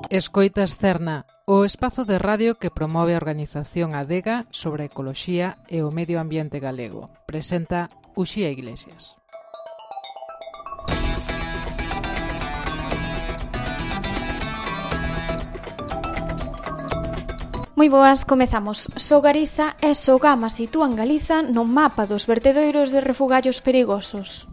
Escoitas Cerna, o espazo de radio que promove a organización Adega sobre a ecoloxía e o medio ambiente galego. Presenta Uxía Iglesias. Moi boas, comezamos. Sogariza e Sogama sitúan Galiza no mapa dos vertedoiros de refugallos perigosos.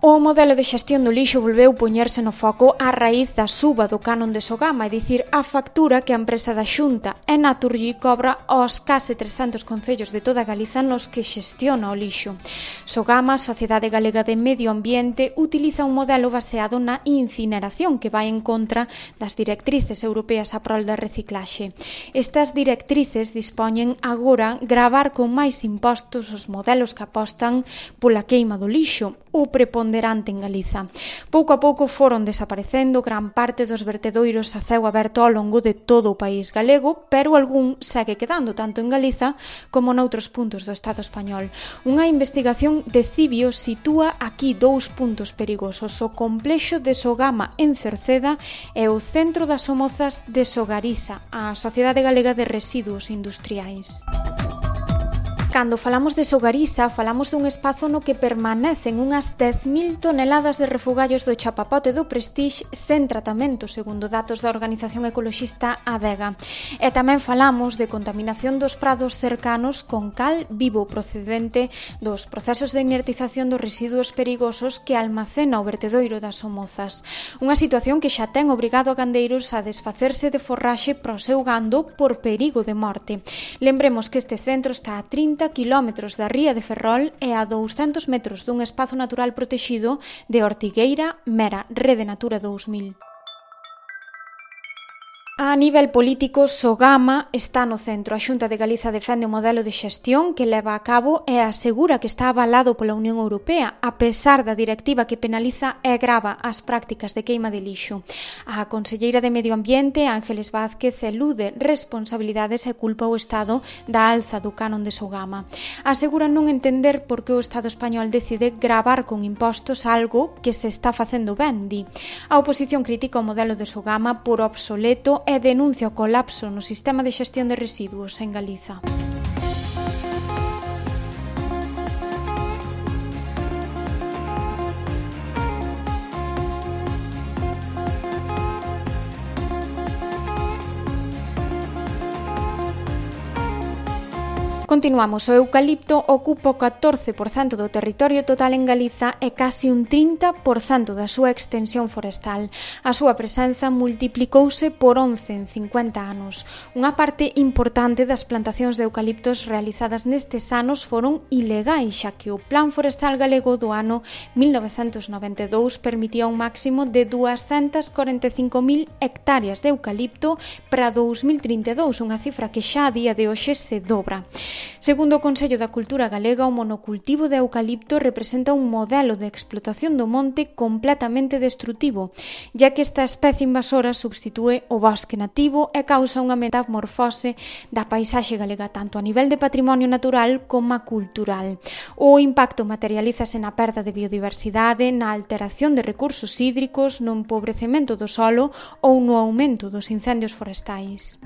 O modelo de xestión do lixo volveu poñerse no foco a raíz da suba do canon de Sogama, é dicir, a factura que a empresa da Xunta e Naturgy cobra aos case 300 concellos de toda Galiza nos que xestiona o lixo. Sogama, Sociedade Galega de Medio Ambiente, utiliza un modelo baseado na incineración que vai en contra das directrices europeas a prol da reciclaxe. Estas directrices dispoñen agora gravar con máis impostos os modelos que apostan pola queima do lixo, o preponderante en Galiza. Pouco a pouco foron desaparecendo gran parte dos vertedoiros a ceo aberto ao longo de todo o país galego, pero algún segue quedando tanto en Galiza como noutros puntos do Estado español. Unha investigación de Cibio sitúa aquí dous puntos perigosos: o complexo de Sogama en Cerceda e o centro das Somozas de Sogariza, a Sociedade Galega de Residuos Industriais. Cando falamos de Sogariza, falamos dun espazo no que permanecen unhas 10.000 toneladas de refugallos do chapapote do Prestige sen tratamento, segundo datos da organización ecoloxista Adega. E tamén falamos de contaminación dos prados cercanos con cal vivo procedente dos procesos de inertización dos residuos perigosos que almacena o vertedoiro das Somozas. Unha situación que xa ten obrigado a gandeiros a desfacerse de forraxe para o seu gando por perigo de morte. Lembremos que este centro está a 30 kilómetros da ría de Ferrol e a 200 metros dun espazo natural protexido de Ortigueira Mera, Rede Natura 2000. A nivel político, Sogama está no centro. A Xunta de Galiza defende o modelo de xestión que leva a cabo e asegura que está avalado pola Unión Europea, a pesar da directiva que penaliza e grava as prácticas de queima de lixo. A conselleira de Medio Ambiente, Ángeles Vázquez, elude responsabilidades e culpa ao Estado da alza do canon de Sogama. Asegura non entender por que o Estado español decide gravar con impostos algo que se está facendo ben, di. A oposición critica o modelo de Sogama por obsoleto e denuncia o colapso no sistema de xestión de residuos en Galiza. Continuamos. O eucalipto ocupa o 14% do territorio total en Galiza e casi un 30% da súa extensión forestal. A súa presenza multiplicouse por 11 en 50 anos. Unha parte importante das plantacións de eucaliptos realizadas nestes anos foron ilegais, xa que o Plan Forestal Galego do ano 1992 permitía un máximo de 245.000 hectáreas de eucalipto para 2032, unha cifra que xa a día de hoxe se dobra. Segundo o Consello da Cultura Galega, o monocultivo de eucalipto representa un modelo de explotación do monte completamente destrutivo, ya que esta especie invasora substitúe o bosque nativo e causa unha metamorfose da paisaxe galega tanto a nivel de patrimonio natural como a cultural. O impacto materialízase na perda de biodiversidade, na alteración de recursos hídricos, no empobrecemento do solo ou no aumento dos incendios forestais.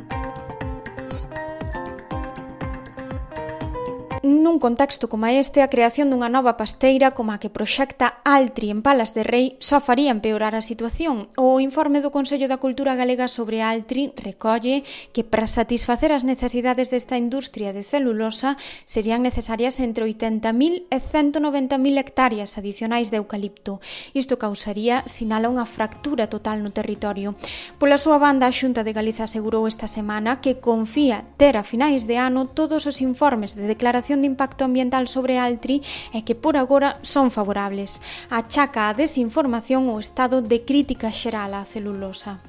Nun contexto como este, a creación dunha nova pasteira como a que proxecta Altri en Palas de Rei só faría empeorar a situación. O informe do Consello da Cultura Galega sobre Altri recolle que para satisfacer as necesidades desta industria de celulosa serían necesarias entre 80.000 e 190.000 hectáreas adicionais de eucalipto. Isto causaría, sinala, unha fractura total no territorio. Pola súa banda, a Xunta de Galiza asegurou esta semana que confía ter a finais de ano todos os informes de declaración de impacto ambiental sobre Altri e que por agora son favorables. Achaca a desinformación o estado de crítica xeral á celulosa.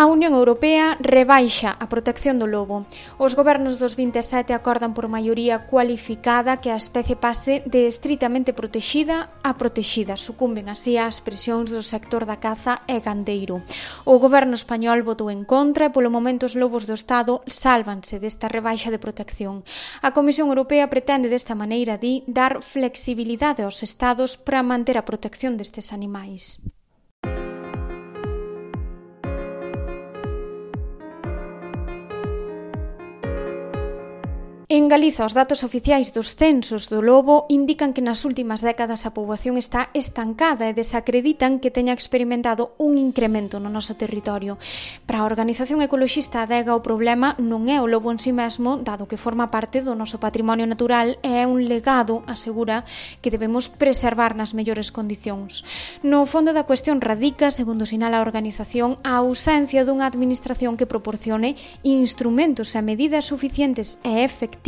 A Unión Europea rebaixa a protección do lobo. Os gobernos dos 27 acordan por maioría cualificada que a especie pase de estritamente protexida a protexida. Sucumben así ás presións do sector da caza e gandeiro. O goberno español votou en contra e polo momento os lobos do Estado sálvanse desta rebaixa de protección. A Comisión Europea pretende desta maneira, dar flexibilidade aos Estados para manter a protección destes animais. En Galiza, os datos oficiais dos censos do lobo indican que nas últimas décadas a poboación está estancada e desacreditan que teña experimentado un incremento no noso territorio. Para a organización ecoloxista Adega, o problema non é o lobo en si mesmo, dado que forma parte do noso patrimonio natural e é un legado, asegura, que debemos preservar nas mellores condicións. No fondo da cuestión radica, segundo sinala a organización, a ausencia dunha administración que proporcione instrumentos e medidas suficientes e efectivas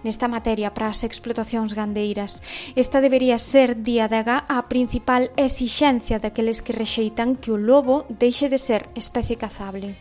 nesta materia para as explotacións gandeiras. Esta debería ser, di Adega, a principal exixencia daqueles que rexeitan que o lobo deixe de ser especie cazable.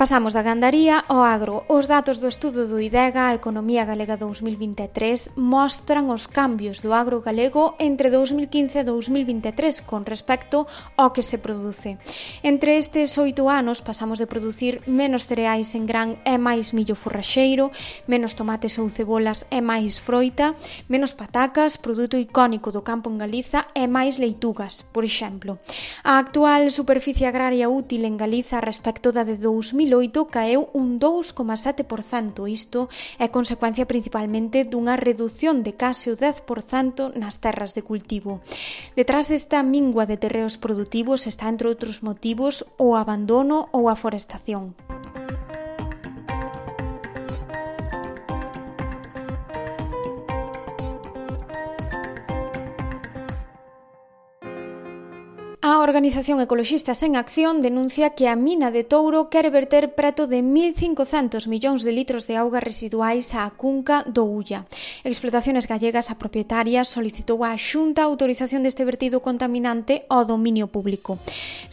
Pasamos da gandaría ao agro. Os datos do estudo do IDEGA, a Economía Galega 2023, mostran os cambios do agro galego entre 2015 e 2023 con respecto ao que se produce. Entre estes 8 anos pasamos de producir menos cereais en gran e máis millo forraxeiro, menos tomates ou cebolas e máis froita, menos patacas, produto icónico do campo en Galiza, e máis leitugas, por exemplo. A actual superficie agraria útil en Galiza respecto da de 2008 caeu un 2,7%. Isto é consecuencia principalmente dunha reducción de case o 10% nas terras de cultivo. Detrás desta mingua de terreos produtivos está, entre outros motivos, o abandono ou a forestación. A organización Ecoloxistas en Acción denuncia que a mina de Touro quere verter preto de 1.500 millóns de litros de augas residuais á cunca do Ulla. Explotaciones Gallegas, a propietaria, solicitou á Xunta a autorización deste vertido contaminante ao dominio público.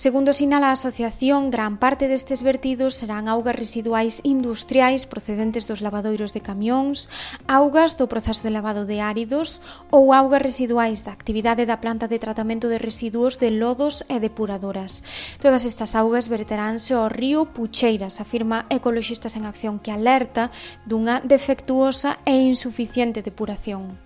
Segundo sinala a asociación, gran parte destes vertidos serán augas residuais industriais procedentes dos lavadoiros de camións, augas do proceso de lavado de áridos ou augas residuais da actividade da planta de tratamento de residuos de lodo e depuradoras. Todas estas augas verteránse ao río Pucheiras, afirma Ecoloxistas en Acción, que alerta dunha defectuosa e insuficiente depuración.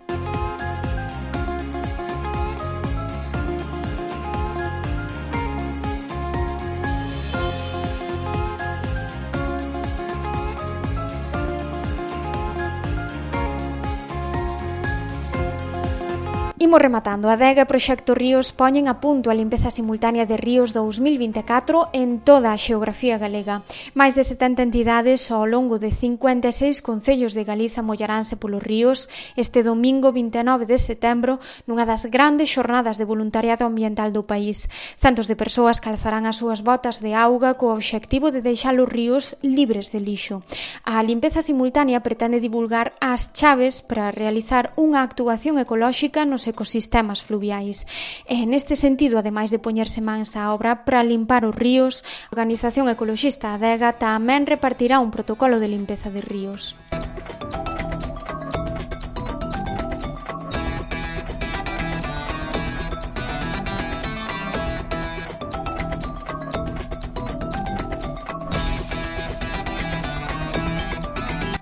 Imos rematando. A Adega e Proxecto Ríos poñen a punto a limpeza simultánea de ríos 2024 en toda a xeografía galega. Mais de 70 entidades ao longo de 56 concellos de Galiza mollaranse polos ríos este domingo 29 de setembro nunha das grandes xornadas de voluntariado ambiental do país. Centos de persoas calzarán as súas botas de auga co obxectivo de deixar os ríos libres de lixo. A limpeza simultánea pretende divulgar as chaves para realizar unha actuación ecolóxica nos ecosistemas fluviais. E neste sentido, ademais de poñerse mans á obra para limpar os ríos, a organización ecoloxista Adega tamén repartirá un protocolo de limpeza de ríos.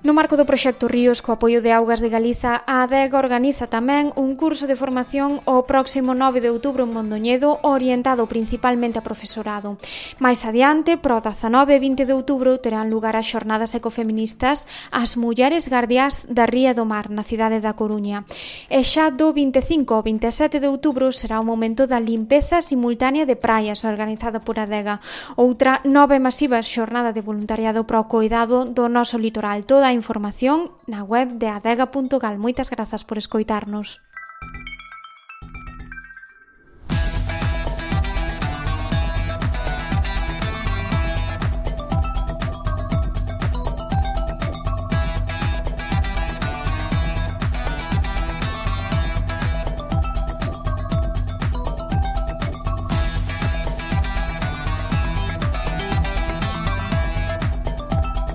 No marco do Proxecto Ríos, co apoio de Augas de Galiza, a Adega organiza tamén un curso de formación o próximo 9 de outubro en Mondoñedo, orientado principalmente a profesorado. Mais adiante, pro 19 e 20 de outubro, terán lugar as xornadas ecofeministas As Mulleres Gardiás da Ría do Mar, na cidade da Coruña. E xa do 25 ao 27 de outubro será o momento da limpeza simultánea de praias, organizada por Adega, outra nova e masiva xornada de voluntariado para o coidado do noso litoral. Toda a información na web de adega.gal. Moitas grazas por escoitarnos.